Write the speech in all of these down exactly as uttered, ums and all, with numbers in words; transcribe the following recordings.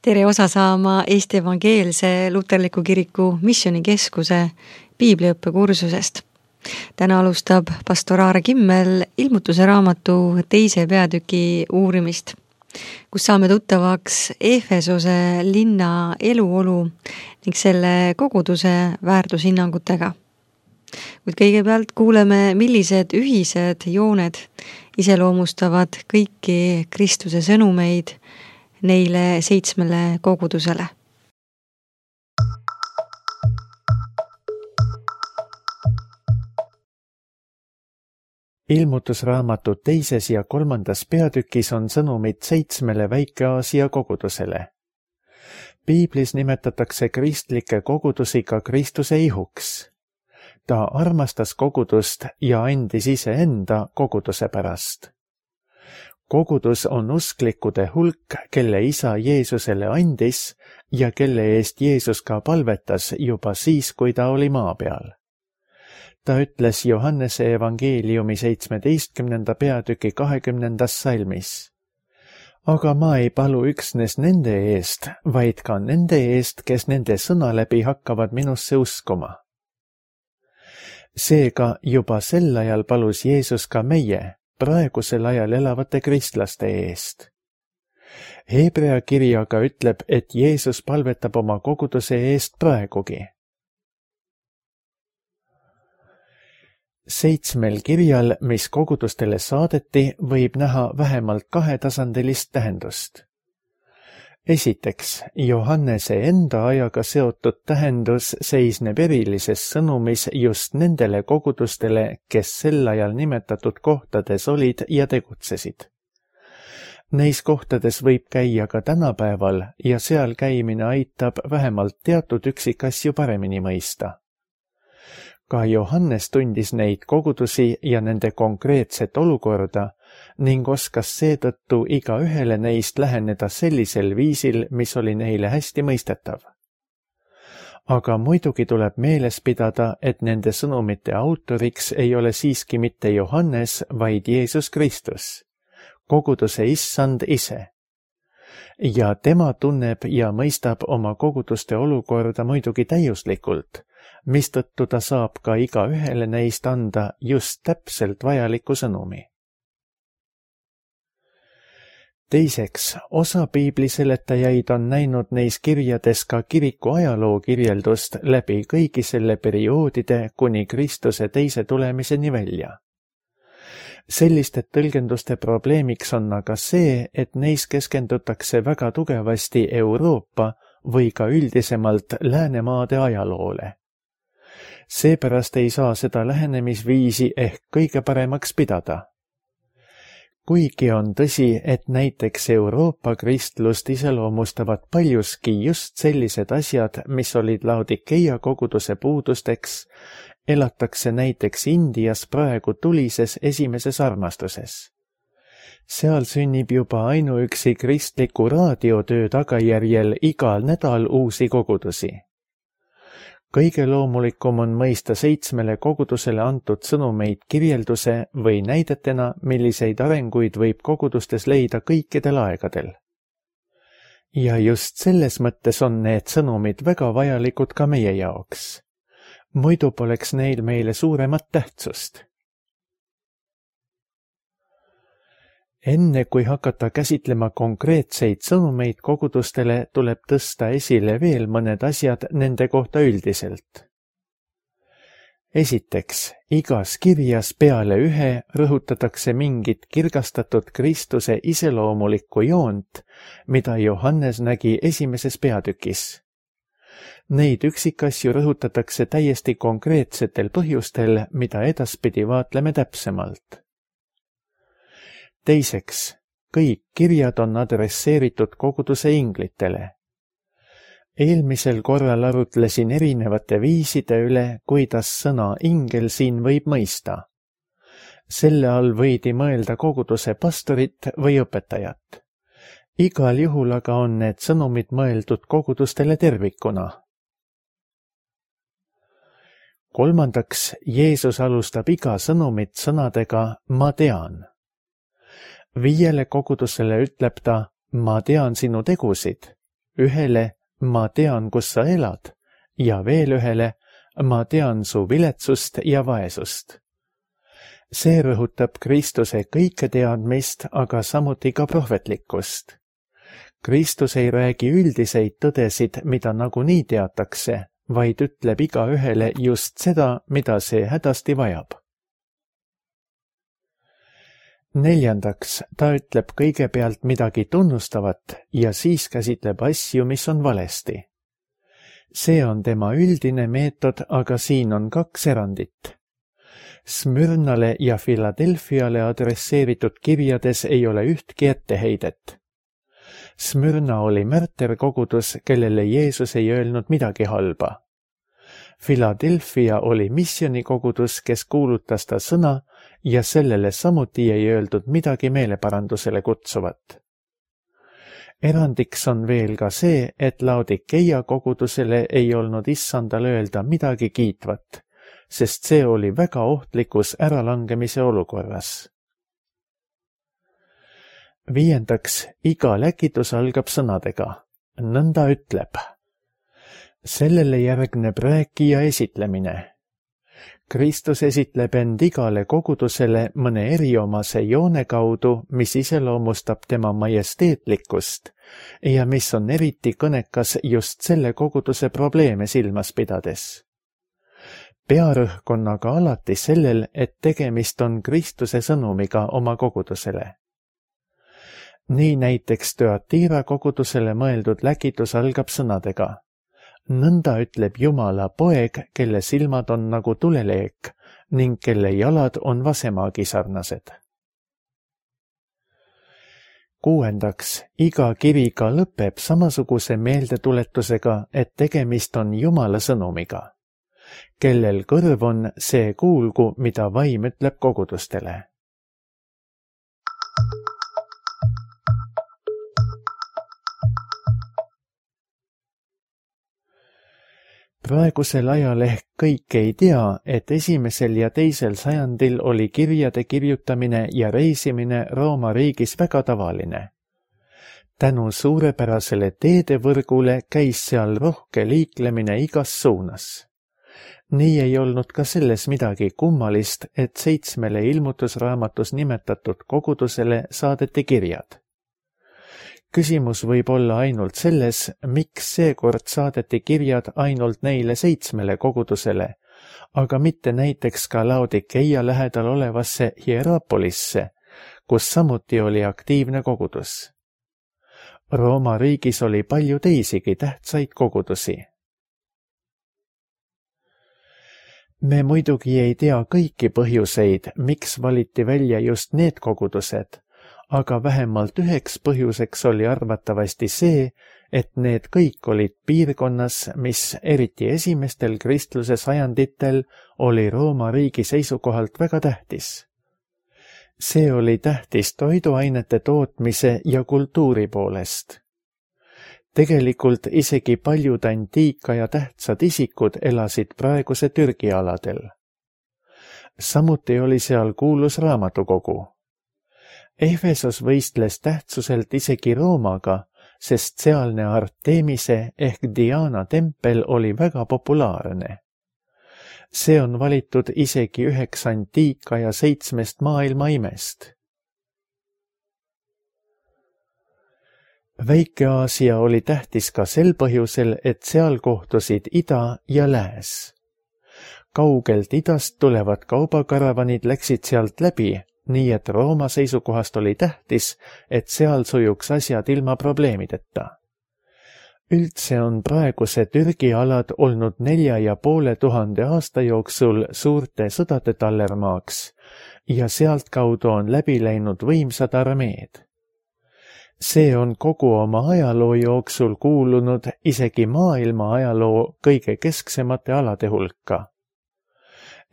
Tere osa saama Eesti Evangeelse Luterliku Kiriku Missioonikeskuse piibliõppekursusest. Täna alustab pastor Aare Kimmel ilmutuse raamatu teise peatüki uurimist, kus saame tuttavaks Efesose linna eluolu ning selle koguduse väärtushinnangutega. Kuid kõigepealt kuuleme, millised ühised jooned iseloomustavad kõiki Kristuse sõnumeid neile seitsmele kogudusele. Ilmutusraamatu teises ja kolmandas peatükis on sõnumid seitsmele Väike-Aasia kogudusele. Piiblis nimetatakse kristlikke kogudusi ka Kristuse ihuks. Ta armastas kogudust ja andis iseenda koguduse pärast. Kogudus on usklikude hulk, kelle isa Jeesusele andis ja kelle eest Jeesus ka palvetas juba siis, kui ta oli maa peal. Ta ütles Johannese evangeeliumi seitsmeteistkümnenda peatüki kahekümnendas salmis. Aga ma ei palu üksnes nende eest, vaid ka nende eest, kes nende sõna läbi hakkavad minusse uskuma. Seega juba sel ajal palus Jeesus ka meie, praegusel ajal elavate kristlaste eest. Hebrea kiri aga ütleb, et Jeesus palvetab oma koguduse eest praegugi. Seitsmel kirjal, mis kogudustele saadeti, võib näha vähemalt kahetasandilist tähendust. Esiteks, Johannese enda ajaga seotud tähendus seisneb erilises sõnumis just nendele kogudustele, kes sel ajal nimetatud kohtades olid ja tegutsesid. Neis kohtades võib käia ka tänapäeval ja seal käimine aitab vähemalt teatud üksikasju paremini mõista. Ka Johannes tundis neid kogudusi ja nende konkreetset olukorda ning oskas seetõttu iga ühele neist läheneda sellisel viisil, mis oli neile hästi mõistetav. Aga muidugi tuleb meeles pidada, et nende sõnumite autoriks ei ole siiski mitte Johannes, vaid Jeesus Kristus, koguduse issand ise. Ja tema tunneb ja mõistab oma koguduste olukorda muidugi täiuslikult, mistõttu ta saab ka iga ühele neist anda just täpselt vajaliku sõnumi. Teiseks, osa piibliseletajaid on näinud neis kirjades ka kiriku ajaloo kirjeldust läbi kõigi selle perioodide kuni Kristuse teise tulemiseni välja. Selliste tõlgenduste probleemiks on aga see, et neis keskendutakse väga tugevasti Euroopa või ka üldisemalt Läänemaade ajaloole. Seepärast ei saa seda lähenemisviisi ehk kõige paremaks pidada. Kuigi on tõsi, et näiteks Euroopa kristlust iseloomustavad paljuski just sellised asjad, mis olid Laodikeia koguduse puudusteks, elatakse näiteks Indias praegu tulises esimeses armastuses. Seal sünnib juba ainuüksi kristliku raadiotöö tagajärjel igal nädal uusi kogudusi. Kõige loomulikum on mõista seitsmele kogudusele antud sõnumeid kirjelduse või näidetena, milliseid arenguid võib kogudustes leida kõikidel aegadel. Ja just selles mõttes on need sõnumid väga vajalikud ka meie jaoks. Muidu poleks neil meile suuremat tähtsust. Enne kui hakata käsitlema konkreetseid sõnumeid kogudustele, tuleb tõsta esile veel mõned asjad nende kohta üldiselt. Esiteks, igas kirjas peale ühe rõhutatakse mingit kirgastatud Kristuse iseloomulikku joont, mida Johannes nägi esimeses peatükis. Neid üksikasju rõhutatakse täiesti konkreetsetel põhjustel, mida edaspidi vaatleme täpsemalt. Teiseks, kõik kirjad on adresseeritud koguduse inglitele. Eelmisel korral arutlesin erinevate viiside üle, kuidas sõna ingel siin võib mõista. Selle all võidi mõelda koguduse pastorit või õpetajat. Igal juhul aga on need sõnumid mõeldud kogudustele tervikuna. Kolmandaks, Jeesus alustab iga sõnumit sõnadega "ma tean". Viiele kogudusele ütleb ta, ma tean sinu tegusid, ühele ma tean, kus sa elad ja veel ühele ma tean su viletsust ja vaesust. See rõhutab Kristuse kõike teadmist, aga samuti ka prohvetlikkust. Kristus ei räägi üldiseid tõdesid, mida nagunii teatakse, vaid ütleb igaühele just seda, mida see hädasti vajab. Neljandaks, ta ütleb kõigepealt midagi tunnustavat ja siis käsitleb asju, mis on valesti. See on tema üldine meetod, aga siin on kaks erandit. Smürnale ja Philadelphiale adresseeritud kirjades ei ole ühtki etteheidet. Smürna oli märterkogudus, kellele Jeesus ei öelnud midagi halba. Philadelphia oli missionikogudus, kes kuulutas ta sõna ja sellele samuti ei öeldud midagi meeleparandusele kutsuvat. Erandiks on veel ka see, et Laodikeia kogudusele ei olnud issandal öelda midagi kiitvat, sest see oli väga ohtlikus äralangemise olukorras. Viiendaks, iga läkitus algab sõnadega. Nõnda ütleb. Sellele järgneb rääkija esitlemine. Kristus esitleb end igale kogudusele mõne eriomase joone kaudu, mis iseloomustab tema majesteetlikkust ja mis on eriti kõnekas just selle koguduse probleeme silmas pidades. Pearõhk on aga alati sellel, et tegemist on Kristuse sõnumiga oma kogudusele. Nii näiteks Thyatira kogudusele mõeldud läkitus algab sõnadega. Nõnda ütleb Jumala poeg, kelle silmad on nagu tuleleek ning kelle jalad on vasemaagi sarnased. Kuuendaks, iga kiri ka lõpeb samasuguse meeldetuletusega, et tegemist on Jumala sõnumiga. Kellel kõrv on, see kuulgu, mida vaim ütleb kogudustele. Praegusel ajal ehk kõik ei tea, et esimesel ja teisel sajandil oli kirjade kirjutamine ja reisimine Rooma riigis väga tavaline. Tänu suurepärasele teedevõrgule käis seal rohke liiklemine igas suunas. Nii ei olnud ka selles midagi kummalist, et seitsmele ilmutusraamatus nimetatud kogudusele saadeti kirjad. Küsimus võib olla ainult selles, miks seekord saadeti kirjad ainult neile seitsmele kogudusele, aga mitte näiteks ka Laodikeia lähedal olevasse Hierapolisse, kus samuti oli aktiivne kogudus. Rooma riigis oli palju teisigi tähtsaid kogudusi. Me muidugi ei tea kõiki põhjuseid, miks valiti välja just need kogudused, aga vähemalt üheks põhjuseks oli arvatavasti see, et need kõik olid piirkonnas, mis eriti esimestel kristluse sajanditel oli Rooma riigi seisukohalt väga tähtis. See oli tähtis toiduainete tootmise ja kultuuri poolest. Tegelikult isegi paljud antiika ja tähtsad isikud elasid praeguse Türgi aladel. Samuti oli seal kuulus raamatukogu. Efesos võistles tähtsuselt isegi Roomaga, sest sealne Artemise ehk Diana tempel oli väga populaarne. See on valitud isegi üheks antiika ja seitsmest maailma imest. Väike-Aasia oli tähtis ka sel põhjusel, et seal kohtusid ida ja lääs. Kaugelt idast tulevad kaubakaravanid läksid sealt läbi, nii et Rooma seisukohast oli tähtis, et seal sujuks asjad ilma probleemideta. Üldse on praeguse Türgi alad olnud nelja ja poole tuhande aasta jooksul suurte sõdade tallermaaks ja sealtkaudu on läbi läinud võimsad armeed. See on kogu oma ajaloo jooksul kuulunud isegi maailma ajaloo kõige kesksemate alade hulka.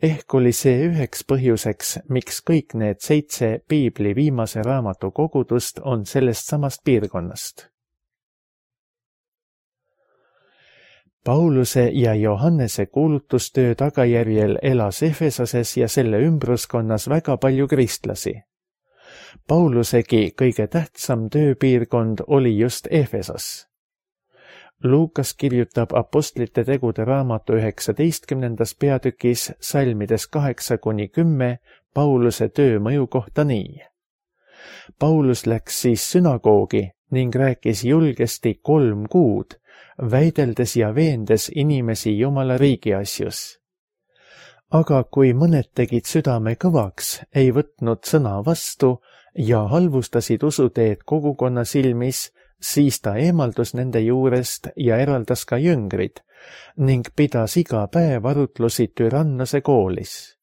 Ehk oli see üheks põhjuseks, miks kõik need seitse piibli viimase raamatu kogudust on sellest samast piirkonnast. Pauluse ja Johannese kuulutustöö tagajärjel elas Efesoses ja selle ümbruskonnas väga palju kristlasi. Paulusegi kõige tähtsam tööpiirkond oli just Efesos. Luukas kirjutab Apostlite tegude raamatu üheksateistkümnendas peatükis salmides kaheksa kuni kümme Pauluse töö mõju kohta nii. Paulus läks siis sünagoogi ning rääkis julgesti kolm kuud, väideldes ja veendes inimesi Jumala riigi asjus. Aga kui mõned tegid südame kõvaks, ei võtnud sõna vastu ja halvustasid usuteed kogukonna silmis, siis ta eemaldus nende juurest ja eraldas ka jüngrid ning pidas iga päev arutlusi Türannose koolis.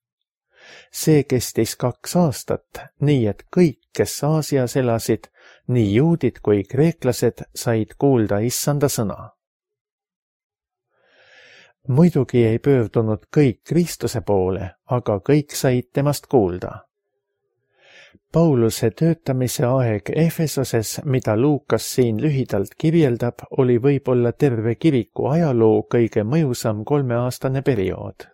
See kestis kaks aastat, nii et kõik, kes Aasias elasid, nii juudid kui kreeklased, said kuulda issanda sõna. Muidugi ei pöördunud kõik Kristuse poole, aga kõik said temast kuulda. Pauluse töötamise aeg Efesoses, mida Luukas siin lühidalt kirjeldab, oli võib-olla terve kiriku ajaloo kõige mõjusam kolmeaastane periood.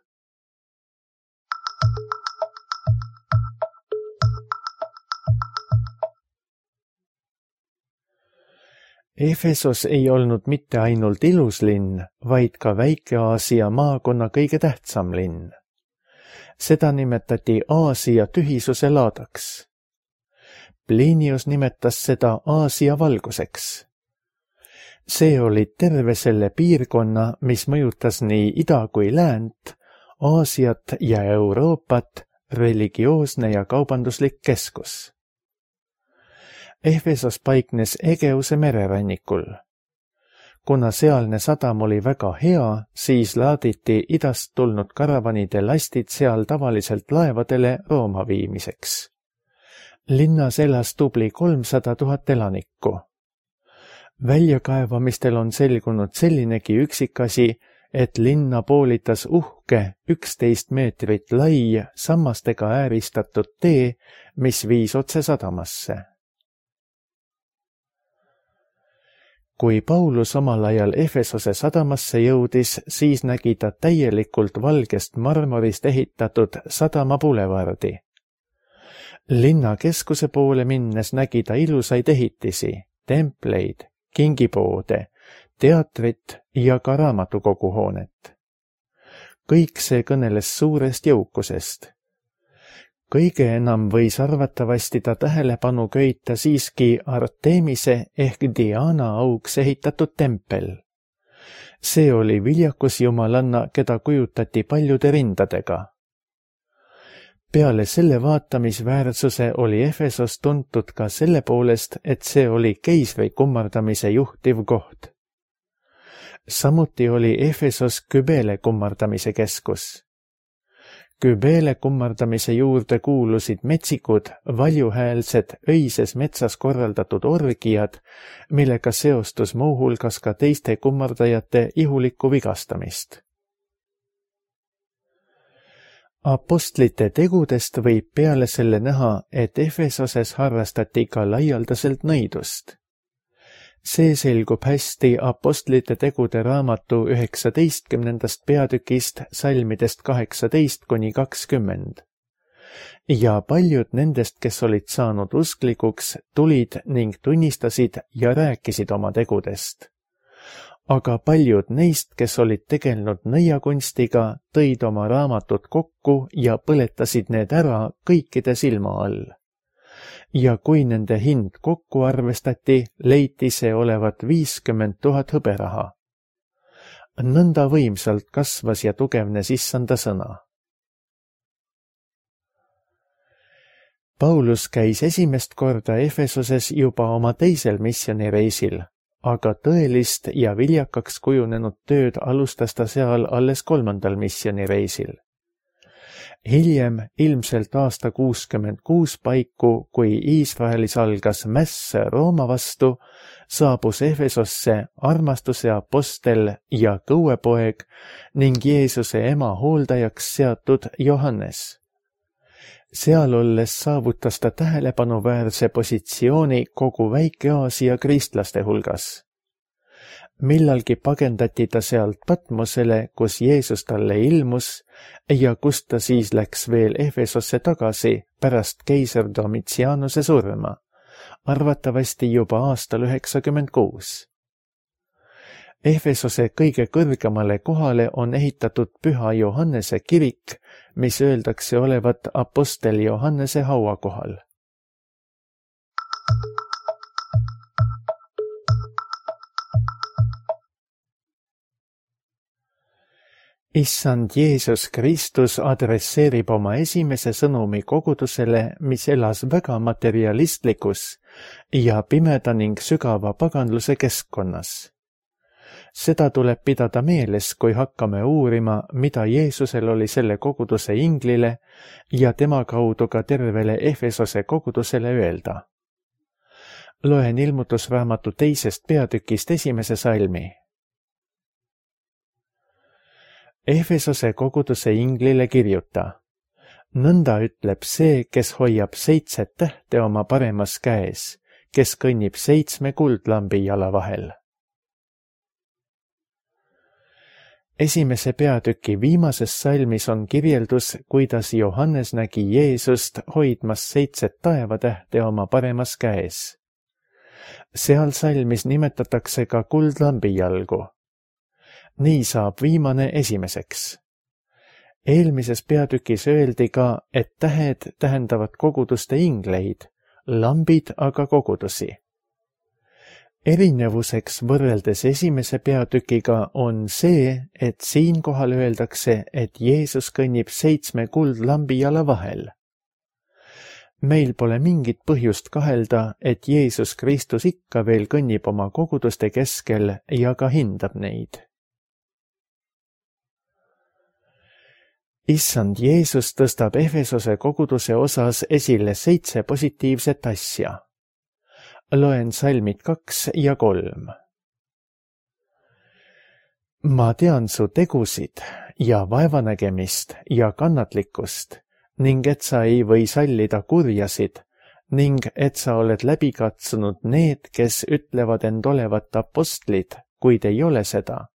Efesos ei olnud mitte ainult ilus linn, vaid ka Väike-Aasia maakonna kõige tähtsam linn. Seda nimetati Aasia tühisuse laadaks. Plinius nimetas seda Aasia valguseks. See oli terve selle piirkonna, mis mõjutas nii ida kui läänt, Aasiat ja Euroopat, religioosne ja kaubanduslik keskus. Efesos paiknes Egeuse mererannikul. Kuna sealne sadam oli väga hea, siis laaditi idast tulnud karavanide lastid seal tavaliselt laevadele Rooma viimiseks. Linnas elas tubli kolmsada tuhat elanikku. Väljakaevamistel on selgunud sellinegi üksikasi, et linna poolitas uhke üksteist meetrit lai sammastega ääristatud tee, mis viis otse sadamasse. Kui Paulus omal ajal Efesose sadamasse jõudis, siis nägi ta täielikult valgest marmorist ehitatud sadama bulevardi. Linna keskuse poole minnes nägi ta ilusaid ehitisi, templeid, kingipoode, teatrit ja ka raamatukoguhoonet. Kõik see kõneles suurest jõukusest. Kõige enam võis arvatavasti ta tähelepanu köita siiski Artemise ehk Diana auks ehitatud tempel. See oli viljakus jumalanna, keda kujutati paljude rindadega. Peale selle vaatamisväärsuse oli Efesos tuntud ka selle poolest, et see oli keisri kummardamise juhtiv koht. Samuti oli Efesos Kybele kummardamise keskus. Kybele kummardamise juurde kuulusid metsikud, valjuhäälsed, öises metsas korraldatud orgiad, millega seostus muuhulgas ka teiste kummardajate ihulikku vigastamist. Apostlite tegudest võib peale selle näha, et Efesoses harrastati ka laialdaselt nõidust. See selgub hästi Apostlite tegude raamatu üheksateistkümnendast peatükist salmidest kaheksateist kuni kakskümmend. Ja paljud nendest, kes olid saanud usklikuks, tulid ning tunnistasid ja rääkisid oma tegudest. Aga paljud neist, kes olid tegelenud nõiakunstiga, tõid oma raamatud kokku ja põletasid need ära kõikide silma all. Ja kui nende hind kokku arvestati, leiti see olevat viiskümmend tuhat hõberaha. Nõnda võimsalt kasvas ja tugevnes issanda sõna. Paulus käis esimest korda Efesoses juba oma teisel missioonireisil, aga tõelist ja viljakaks kujunenud tööd alustas ta seal alles kolmandal missioonireisil. Hiljem, ilmselt aasta kuuskümmend kuus paiku, kui Iisraelis algas mäss Rooma vastu, saabus Efesosse armastuse apostel ja kõuepoeg ning Jeesuse ema hooldajaks seatud Johannes. Seal olles saavutas ta tähelepanuväärse positsiooni kogu Väike-Aasia kristlaste hulgas. Millalgi pagendati ta sealt Patmosele, kus Jeesus talle ilmus ja kust ta siis läks veel Efesosse tagasi pärast keiser Domitianuse surma, arvatavasti juba aastal üheksakümmend kuus. Efesose kõige kõrgemale kohale on ehitatud Püha Johannese kirik, mis öeldakse olevat apostel Johannese hauakohal. Issand Jeesus Kristus adresseerib oma esimese sõnumi kogudusele, mis elas väga materialistlikus ja pimeda ning sügava paganluse keskkonnas. Seda tuleb pidada meeles, kui hakkame uurima, mida Jeesusel oli selle koguduse inglile ja tema kaudu ka tervele Efesose kogudusele öelda. Loen ilmutusraamatu teisest peatükist esimese salmi. Efesose koguduse inglile kirjuta. Nõnda ütleb see, kes hoiab seitset tähte oma paremas käes, kes kõnnib seitsme kuldlambi jala vahel. Esimese peatüki viimases salmis on kirjeldus, kuidas Johannes nägi Jeesust hoidmas seitset taevatähte oma paremas käes. Seal salmis nimetatakse ka kuldlambi jalgu. Nii saab viimane esimeseks. Eelmises peatükis öeldi ka, et tähed tähendavad koguduste ingleid, lambid aga kogudusi. Erinevuseks võrreldes esimese peatükiga on see, et siinkohal öeldakse, et Jeesus kõnnib seitsme kuldlambi jala vahel. Meil pole mingit põhjust kahelda, et Jeesus Kristus ikka veel kõnnib oma koguduste keskel ja ka hindab neid. Issand Jeesus tõstab Efesose koguduse osas esile seitse positiivset asja. Loen salmid kaks ja kolm. Ma tean su tegusid ja vaevanägemist ja kannatlikkust ning et sa ei või sallida kurjasid ning et sa oled läbi katsunud need, kes ütlevad end olevat apostlid, kuid ei ole seda,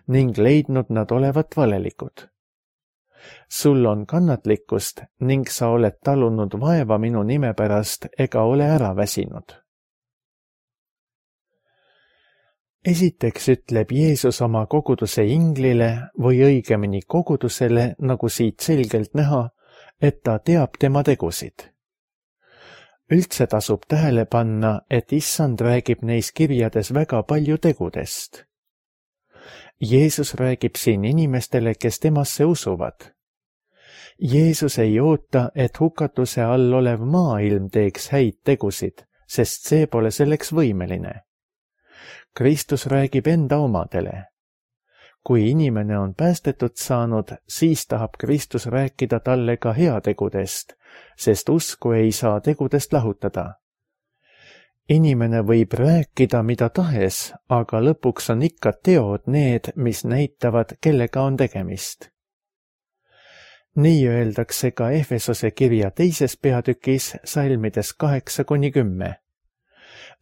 ning leidnud nad olevat valelikud. Sul on kannatlikkust ning sa oled talunud vaeva minu nime pärast ega ole ära väsinud. Esiteks ütleb Jeesus oma koguduse inglile või õigemini kogudusele, nagu siit selgelt näha, et ta teab tema tegusid. Üldse tasub tähele panna, et Issand räägib neis kirjades väga palju tegudest. Jeesus räägib siin inimestele, kes temasse usuvad. Jeesus ei oota, et hukatuse all olev maailm teeks häid tegusid, sest see pole selleks võimeline. Kristus räägib enda omadele. Kui inimene on päästetud saanud, siis tahab Kristus rääkida talle ka heategudest, sest usku ei saa tegudest lahutada. Inimene võib rääkida mida tahes, aga lõpuks on ikka teod need, mis näitavad, kellega on tegemist. Nii öeldakse ka Efesose kirja teises peatükis salmides kaheksa kuni kümme.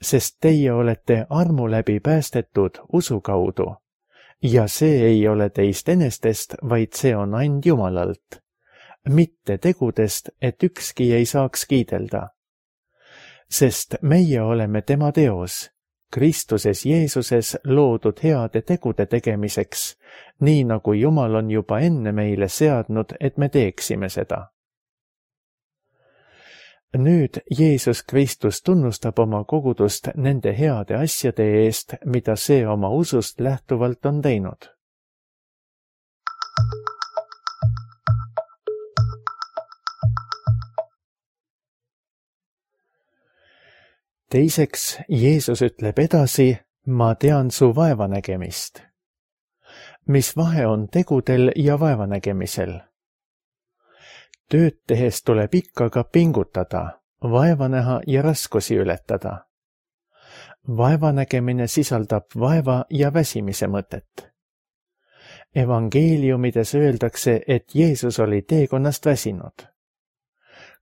Sest teie olete armu läbi päästetud usu kaudu, ja see ei ole teist enestest, vaid see on and Jumalalt, mitte tegudest, et ükski ei saaks kiidelda. Sest meie oleme tema teos, Kristuses Jeesuses loodud heade tegude tegemiseks, nii nagu Jumal on juba enne meile seadnud, et me teeksime seda. Nüüd Jeesus Kristus tunnustab oma kogudust nende heade asjade eest, mida see oma usust lähtuvalt on teinud. Teiseks, Jeesus ütleb edasi, ma tean su vaevanägemist. Mis vahe on tegudel ja vaevanägemisel? Tööd tehes tuleb ikka ka pingutada, vaeva näha ja raskusi ületada. Vaevanägemine sisaldab vaeva ja väsimise mõtet. Evangeeliumides öeldakse, et Jeesus oli teekonnast väsinud.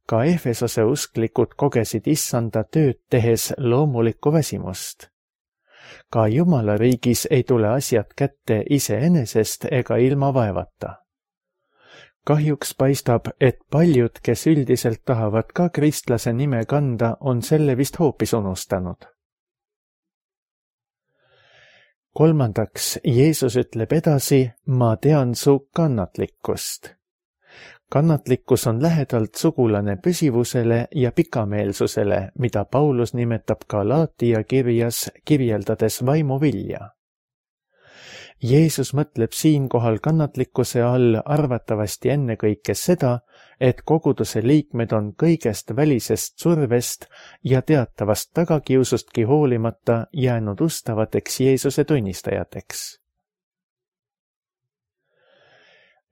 Ka Efesose usklikud kogesid Issanda tööd tehes loomulikku väsimust. Ka Jumala riigis ei tule asjad kätte iseenesest ega ilma vaevata. Kahjuks paistab, et paljud, kes üldiselt tahavad ka kristlase nime kanda, on selle vist hoopis unustanud. kolmandaks, Jeesus ütleb edasi, ma tean su kannatlikkust. Kannatlikkus on lähedalt sugulane püsivusele ja pikameelsusele, mida Paulus nimetab Galaatia kirjas, kirjeldades vaimuvilja. Jeesus mõtleb siinkohal kannatlikkuse all arvatavasti ennekõike seda, et koguduse liikmed on kõigest välisest survest ja teatavast tagakiusustki hoolimata jäänud ustavateks Jeesuse tunnistajateks.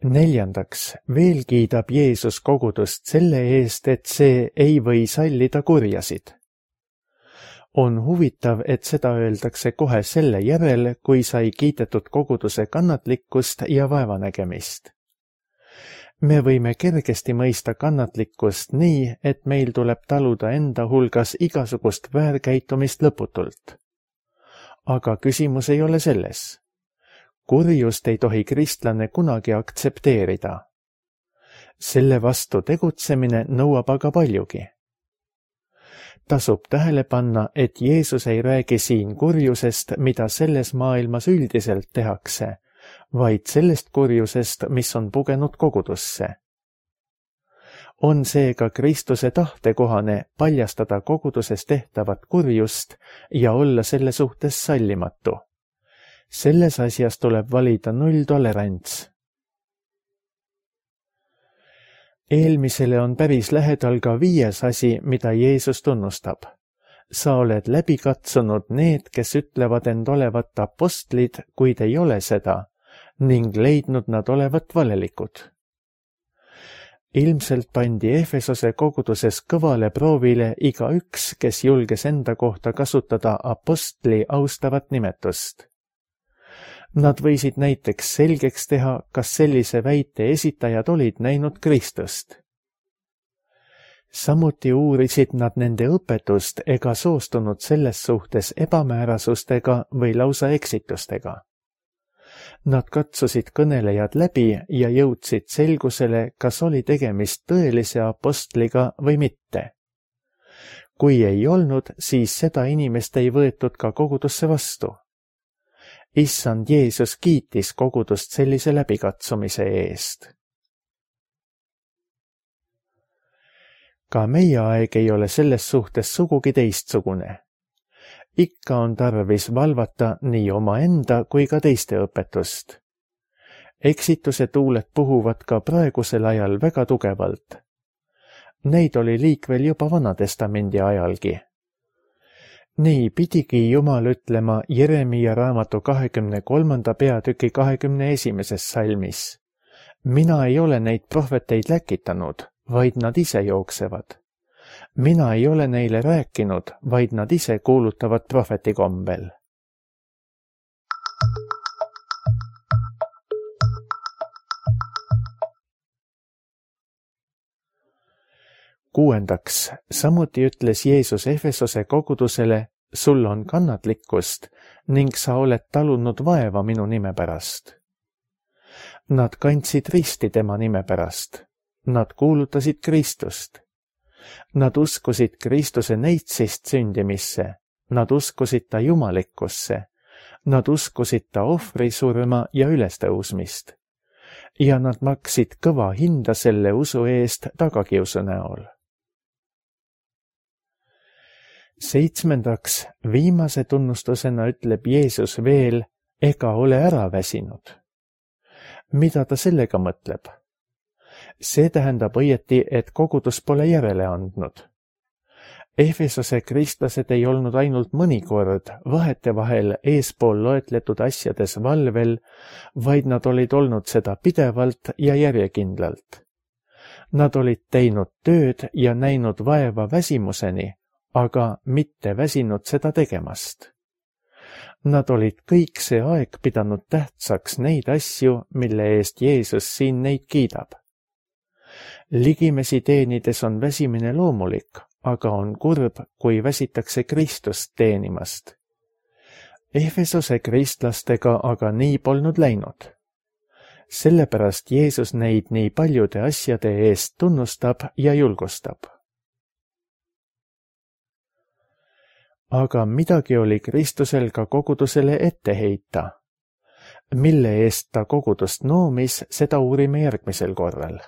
Neljandaks, veel kiidab Jeesus kogudust selle eest, et see ei või sallida kurjasid. On huvitav, et seda öeldakse kohe selle järel, kui sai kiidetud koguduse kannatlikkust ja vaevanägemist. Me võime kergesti mõista kannatlikkust nii, et meil tuleb taluda enda hulgas igasugust väärkäitumist lõputult. Aga küsimus ei ole selles. Kurjust ei tohi kristlane kunagi aktsepteerida. Selle vastu tegutsemine nõuab aga paljugi. Tasub tähele panna, et Jeesus ei räägi siin kurjusest, mida selles maailmas üldiselt tehakse, vaid sellest kurjusest, mis on pugenud kogudusse. On seega Kristuse tahtekohane paljastada koguduses tehtavat kurjust ja olla selle suhtes sallimatu. Selles asjas tuleb valida nulltolerants. Eelmisele on päris lähedal ka viies asi, mida Jeesus tunnustab. Sa oled läbi katsunud need, kes ütlevad end olevat apostlid, kuid ei ole seda, ning leidnud nad olevat valelikud. Ilmselt pandi Efesose koguduses kõvale proovile igaüks, kes julges enda kohta kasutada apostli austavat nimetust. Nad võisid näiteks selgeks teha, kas sellise väite esitajad olid näinud Kristust. Samuti uurisid nad nende õpetust ega soostunud selles suhtes ebamäärasustega või lausa eksitustega. Nad katsusid kõnelejad läbi ja jõudsid selgusele, kas oli tegemist tõelise apostliga või mitte. Kui ei olnud, siis seda inimest ei võetud ka kogudusse vastu. Issand Jeesus kiitis kogudust sellise läbikatsumise eest. Ka meie aeg ei ole selles suhtes sugugi teistsugune. Ikka on tarvis valvata nii omaenda kui ka teiste õpetust. Eksituse tuuled puhuvad ka praegusel ajal väga tugevalt. Neid oli liikvel juba Vanatestamendi ajalgi. Nii pidigi Jumal ütlema Jeremia raamatu kahekümne kolmanda peatüki kahekümne esimeses salmis. Mina ei ole neid prohveteid läkitanud, vaid nad ise jooksevad. Mina ei ole neile rääkinud, vaid nad ise kuulutavad prohveti kombel. Kuuendaks, samuti ütles Jeesus Efesose kogudusele, sul on kannatlikkust ning sa oled talunud vaeva minu nime pärast. Nad kandsid risti tema nime pärast. Nad kuulutasid Kristust. Nad uskusid Kristuse neitsist sündimisse. Nad uskusid ta jumalikkusse. Nad uskusid ta ohvrisurma ja ülestõusmist. Ja nad maksid kõva hinda selle usu eest tagakiusu näol. Seitsmendaks, viimase tunnustusena ütleb Jeesus veel, ega ole ära väsinud. Mida ta sellega mõtleb? See tähendab õieti, et kogudus pole järele andnud. Efesose kristlased ei olnud ainult mõnikord vahetevahel eespool loetletud asjades valvel, vaid nad olid olnud seda pidevalt ja järjekindlalt. Nad olid teinud tööd ja näinud vaeva väsimuseni, aga mitte väsinud seda tegemast. Nad olid kõik see aeg pidanud tähtsaks neid asju, mille eest Jeesus siin neid kiidab. Ligimesi teenides on väsimine loomulik, aga on kurb, kui väsitakse Kristust teenimast. Efesose kristlastega aga nii polnud läinud. Sellepärast Jeesus neid nii paljude asjade eest tunnustab ja julgustab. aga midagi oli Kristusel ka kogudusele ette heita. Mille eest ta kogudust noomis, seda uurime järgmisel korral.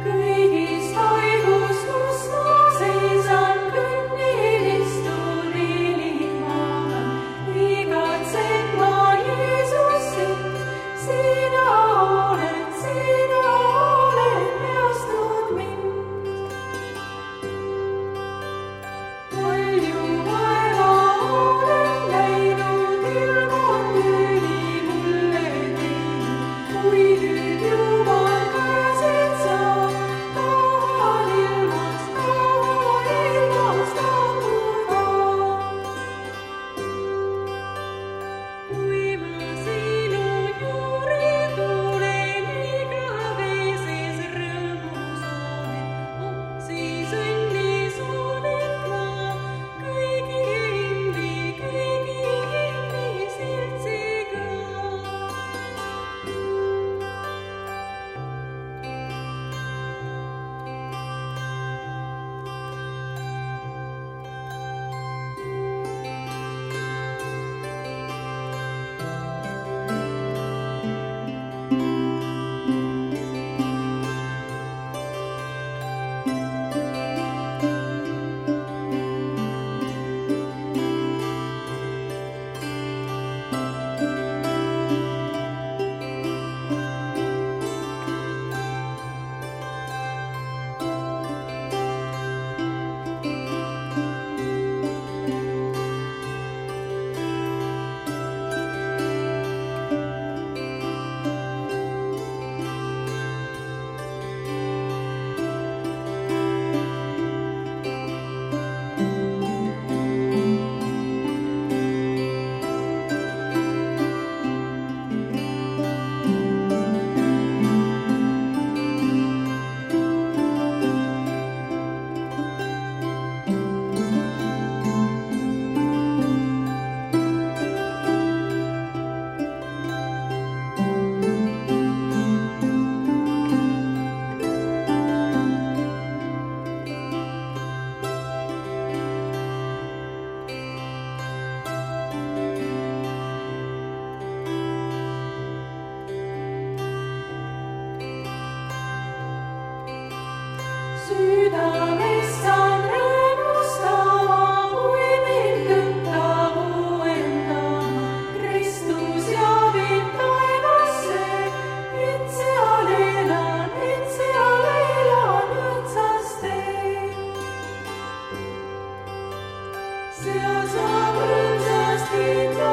Kõigis toigus, kus ma seisan, kõnnilistun eelikmaal, igatsen ma Jeesusit, sina oled, sina oled peastnud mind. Palju vaeva olen läinud, ilma tüüli mulle teinud, kui nüüd Jumal käsed saab, tahan ilmast, tahan ilmast lahkuda. Kui ma sinu juurde tulen, igaveses rõõmus olen, siis õnnis olen ma kõigi endi, kõigi endi seltsiga. Südamest saan rõõmustama, kui mind tõttab uuendama. Kristus ja viib taevasse, et seal elan, et seal elan õndsas teel. Seal saab õndsast kiita